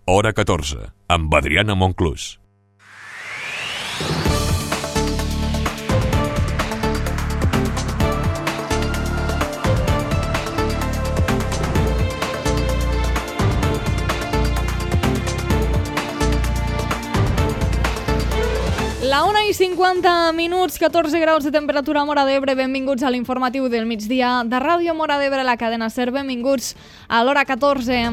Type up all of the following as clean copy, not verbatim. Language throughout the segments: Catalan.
Hora 14, amb Adriana Monclús. La 1:50, 14 graus de temperatura a Móra d'Ebre. Benvinguts a l'informatiu del migdia de Ràdio Móra d'Ebre, la cadena SER. Benvinguts a l'Hora 14.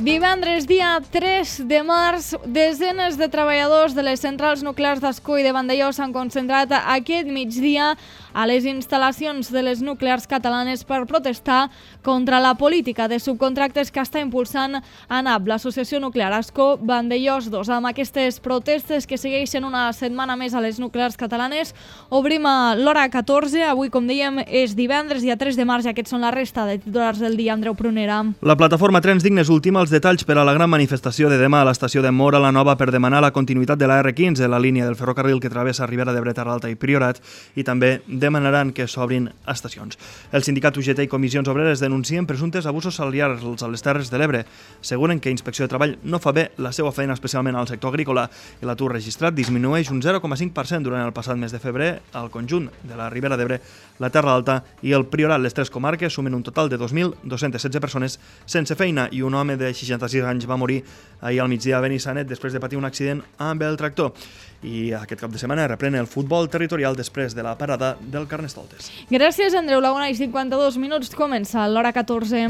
Divendres, dia 3 de març, desenes de treballadors de les centrals nuclears d'Ascó i de Vandellòs s'han concentrat aquest migdia a les instal·lacions de les nuclears catalanes per protestar contra la política de subcontractes que està impulsant ANAP, l'Associació Nuclear Ascó Vandellòs 2. Amb aquestes protestes que segueixen una setmana més a les nuclears catalanes, obrim a l'Hora 14. Avui, com dèiem, és divendres, dia 3 de març, i aquests són la resta de titulars del dia. Andreu Prunera. La plataforma Trens Dignes ultima els detalls per a la gran manifestació de demà a l'estació de Móra la Nova per demanar la continuïtat de la R15, la línia del ferrocarril que travessa Ribera d'Ebre, Terra Alta i Priorat, i també demanaran que s'obrin estacions. El sindicat UGT i comissions obreres denuncien presumptes abusos salarials a les Terres de l'Ebre. Asseguren que Inspecció de Treball no fa bé la seva feina, especialment al sector agrícola, i l'atur registrat disminueix un 0,5% durant el passat mes de febrer al conjunt de la Ribera d'Ebre, la Terra Alta i el Priorat. Les tres comarques sumen un total de 2.216 persones sense feina, i un home de 66 anys va morir ahir al migdia a Benissanet després de patir un accident amb el tractor. I aquest cap de setmana reprèn el futbol territorial després de la parada del Carnestoltes. Gràcies, Andreu. La 1:52 comença l'Hora 14.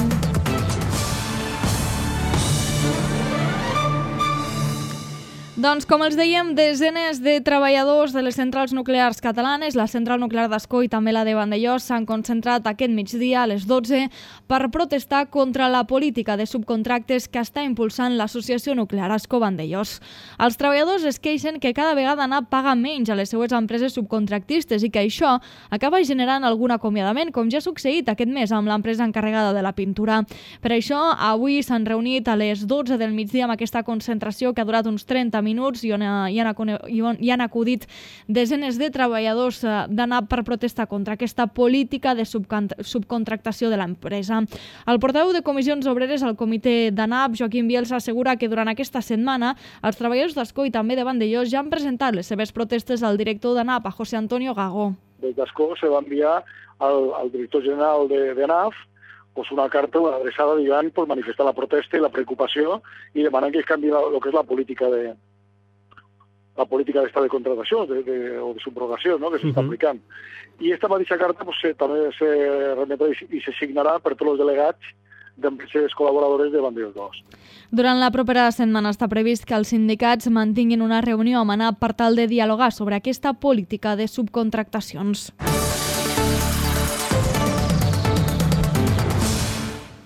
Doncs, com els dèiem, desenes de treballadors de les centrals nuclears catalanes, la central nuclear d'Ascó i també la de Vandellòs, s'han concentrat aquest migdia a les 12 per protestar contra la política de subcontractes que està impulsant l'Associació Nuclear Ascó-Vandellòs. Els treballadors es queixen que cada vegada ANAP paga menys a les seues empreses subcontractistes i que això acaba generant algun acomiadament, com ja ha succeït aquest mes amb l'empresa encarregada de la pintura. Per això, avui s'han reunit a les 12 del migdia amb aquesta concentració que ha durat uns 30 minuts i on hi han acudit desenes de treballadors d'ANAP per protestar contra aquesta política de subcontractació de l'empresa. El portaveu de comissions obreres al comitè d'ANAP, Joaquim Bielsa, assegura que durant aquesta setmana els treballadors d'Ascó i també de Vandellòs ja han presentat les seves protestes al director d'ANAP, a José Antonio Gago. Des d'Ascó se va enviar al director general de ANAP una carta adreçada, diguem, per manifestar la protesta i la preocupació i demanar que es canvi el que és la política d'esta de contratació o de subrogació, no?, que s'està aplicant. I aquesta mateixa carta també se remetrà i se signarà per tots els delegats d'empreses col·laboradores de Vandellòs 2. Durant la propera setmana està previst que els sindicats mantinguin una reunió amb ANAP per tal de dialogar sobre aquesta política de subcontractacions.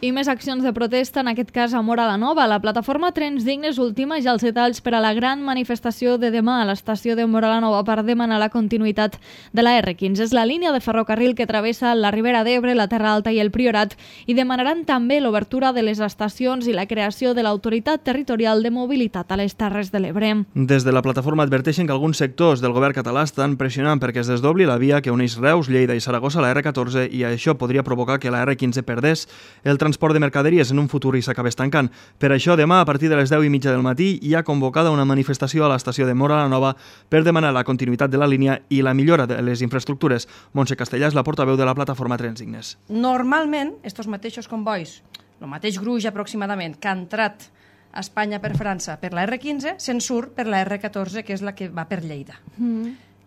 I més accions de protesta, en aquest cas a Móra la Nova. La plataforma Trens Dignes ultima ja els detalls per a la gran manifestació de demà a l'estació de Móra la Nova per demanar la continuïtat de la R15. És la línia de ferrocarril que travessa la Ribera d'Ebre, la Terra Alta i el Priorat, i demanaran també l'obertura de les estacions i la creació de l'Autoritat Territorial de Mobilitat a les Terres de l'Ebre. Des de la plataforma adverteixen que alguns sectors del govern català estan pressionant perquè es desdobli la via que uneix Reus, Lleida i Saragossa a la R14, i això podria provocar que la R15 perdés el transport de mercaderies en un futur i s'acabés tancant. Per això, demà, a partir de les 10:30 del matí, hi ha convocada una manifestació a l'estació de Móra la Nova per demanar la continuïtat de la línia i la millora de les infraestructures. Montse Castellà és la portaveu de la plataforma Trens Dignes. Normalment, estos mateixos convois, el mateix gruix aproximadament, que ha entrat a Espanya per França per la R15, se'n surt per la R14, que és la que va per Lleida.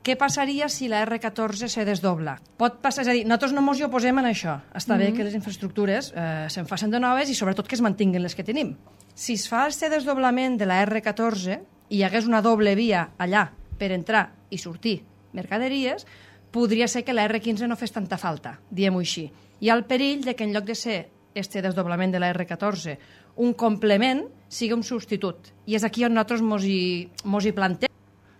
Què passaria si la R14 se desdobla? Pot passar, és a dir, nosaltres no ens hi oposem a això. Està bé que les infraestructures se'n facin de noves i sobretot que es mantinguin les que tenim. Si es fa aquest desdoblament de la R14 i hi hagués una doble via allà per entrar i sortir mercaderies, podria ser que la R15 no fes tanta falta, diguem-ho així. Hi ha el perill de que en lloc de ser este desdoblament de la R14 un complement, sigui un substitut. I és aquí on nosaltres mos hi plantem.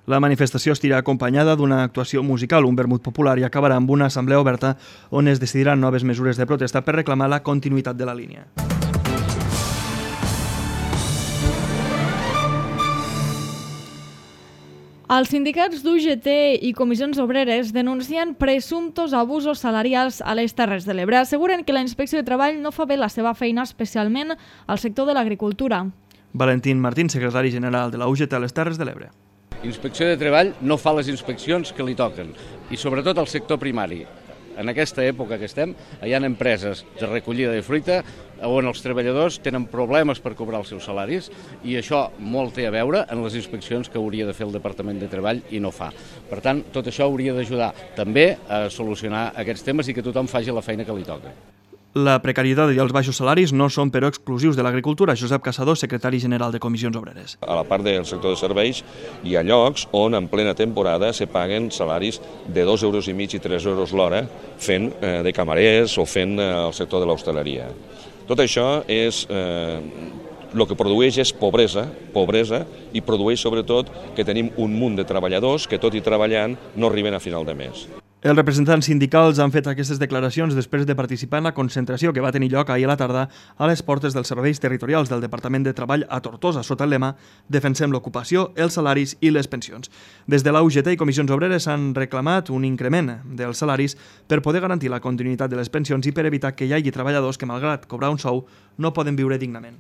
La manifestació estirà acompanyada d'una actuació musical, un vermut popular, i acabarà amb una assemblea oberta on es decidiran noves mesures de protesta per reclamar la continuïtat de la línia. Els sindicats d'UGT i comissions obreres denuncien presumptos abusos salarials a les Terres de l'Ebre. Asseguren que la Inspecció de Treball no fa bé la seva feina, especialment al sector de l'agricultura. Valentín Martín, secretari general de la UGT a les Terres de l'Ebre. Inspecció de Treball no fa les inspeccions que li toquen, i sobretot al sector primari. En aquesta època que estem, hi ha empreses de recollida de fruita on els treballadors tenen problemes per cobrar els seus salaris i això molt té a veure en les inspeccions que hauria de fer el Departament de Treball i no fa. Per tant, tot això hauria d'ajudar també a solucionar aquests temes i que tothom faci la feina que li toca. La precarietat i els baixos salaris no són però exclusius de l'agricultura. Josep Caçador, secretari general de Comissions Obreres. A la part del sector de serveis hi ha llocs on en plena temporada se paguen salaris de 2,5 euros i 3 euros l'hora fent de camarers o fent el sector de l'hostaleria. Tot això és el que produeix és pobresa i produeix sobretot que tenim un munt de treballadors que tot i treballant no arriben a final de mes. Els representants sindicals han fet aquestes declaracions després de participar en la concentració que va tenir lloc ahir a la tarda a les portes dels serveis territorials del Departament de Treball a Tortosa, sota el lema «Defensem l'ocupació, els salaris i les pensions». Des de la UGT i Comissions Obreres han reclamat un increment dels salaris per poder garantir la continuïtat de les pensions i per evitar que hi hagi treballadors que, malgrat cobrar un sou, no poden viure dignament.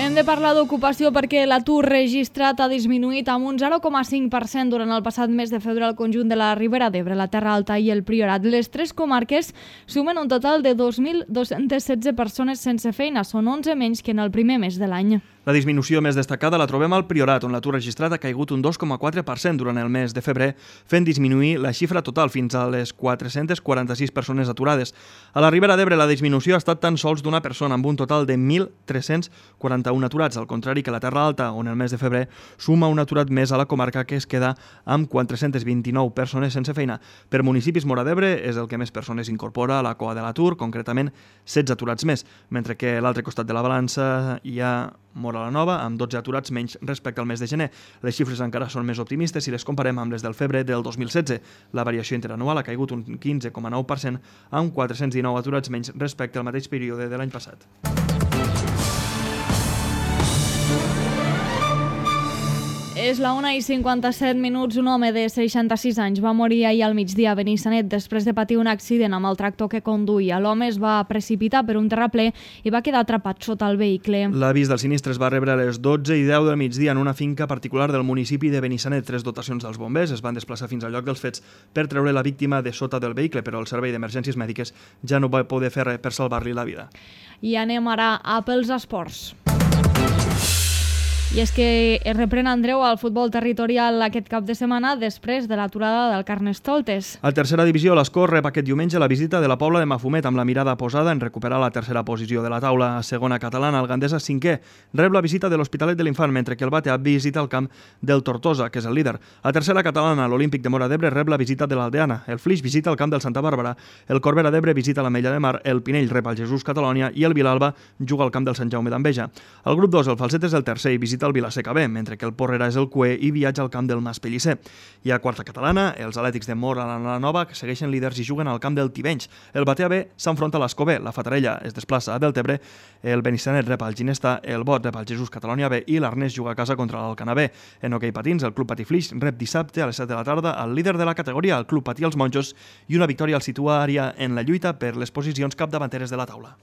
Hem de parlar d'ocupació perquè l'atur registrat ha disminuït amb un 0,5% durant el passat mes de febrer al conjunt de la Ribera d'Ebre, la Terra Alta i el Priorat. Les tres comarques sumen un total de 2.216 persones sense feina, són 11 menys que en el primer mes de l'any. La disminució més destacada la trobem al Priorat, on l'atur registrat ha caigut un 2,4% durant el mes de febrer, fent disminuir la xifra total fins a les 446 persones aturades. A la Ribera d'Ebre la disminució ha estat tan sols d'una persona, amb un total de 1.341 aturats, al contrari que la Terra Alta, on el mes de febrer suma un aturat més a la comarca, que es queda amb 429 persones sense feina. Per municipis, Móra d'Ebre és el que més persones incorpora a la cua de l'atur, concretament 16 aturats més, mentre que a l'altre costat de la balança hi ha Móra la Nova, amb 12 aturats menys respecte al mes de gener. Les xifres encara són més optimistes si les comparem amb les del febrer del 2016. La variació interanual ha caigut un 15,9%, amb 419 aturats menys respecte al mateix període de l'any passat. És la 1:57. Un home de 66 anys va morir ahir al migdia a Benissanet després de patir un accident amb el tractor que conduïa. L'home es va precipitar per un terraplè i va quedar atrapat sota el vehicle. L'avís del sinistre es va rebre a les 12:10 del migdia en una finca particular del municipi de Benissanet. 3 dotacions dels bombers es van desplaçar fins al lloc dels fets per treure la víctima de sota del vehicle, però el servei d'emergències mèdiques ja no va poder fer res per salvar-li la vida. I anem ara a pels esports. I és que es reprèn, Andreu, al futbol territorial aquest cap de setmana després de l'aturada del Carnestoltes. A tercera divisió, l'Escó rep aquest diumenge la visita de la Pobla de Mafumet amb la mirada posada en recuperar la tercera posició de la taula. A segona catalana, el Gandesa 5è rep la visita de l'Hospitalet de l'Infant, mentre que el Batea visita el camp del Tortosa, que és el líder. A tercera catalana, l'Olímpic de Móra d'Ebre rep la visita de l'Aldeana, el Flix visita el camp del Santa Bàrbara, el Corbera d'Ebre visita l'Ametlla de Mar, el Pinell rep el Jesús Catalònia i el Vilalba juga al camp del Sant Jaume d'Enveja. El grup 2, el Falset és el tercer i visita el Vilaseca B, mentre que el Porrera és el cué i viatja al camp del Mas Pellicer. I a quarta catalana, els Atlètics de Móra la Nova, que segueixen líders i juguen al camp del Tivenys. El Batea B s'enfronta a l'Escó B, la Fatarella es desplaça a Deltebre, el Benissanet rep al Ginestà, el Bot rep al Jesús Catalònia B i l'Arnès juga a casa contra l'Alcanar B. En hoquei patins, el Club Patí Flix rep dissabte a les 7 de la tarda al líder de la categoria, el Club Patí els Monjos, i una victòria el situaria en la lluita per les posicions capdavanteres de la taula.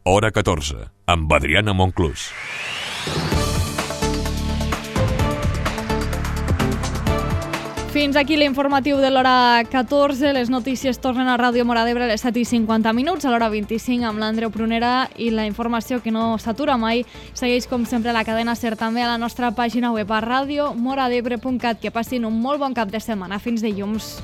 Hora 14, amb Adriana Monclús. Fins aquí l'informatiu de l'hora 14. Les notícies tornen a Ràdio Móra d'Ebre a les 7:50, a l'hora 25 amb l'Andreu Prunera, i la informació que no s'atura mai segueix com sempre a la cadena SER, també a la nostra pàgina web a radiomoradebre.cat. Que passin un molt bon cap de setmana. Fins dilluns.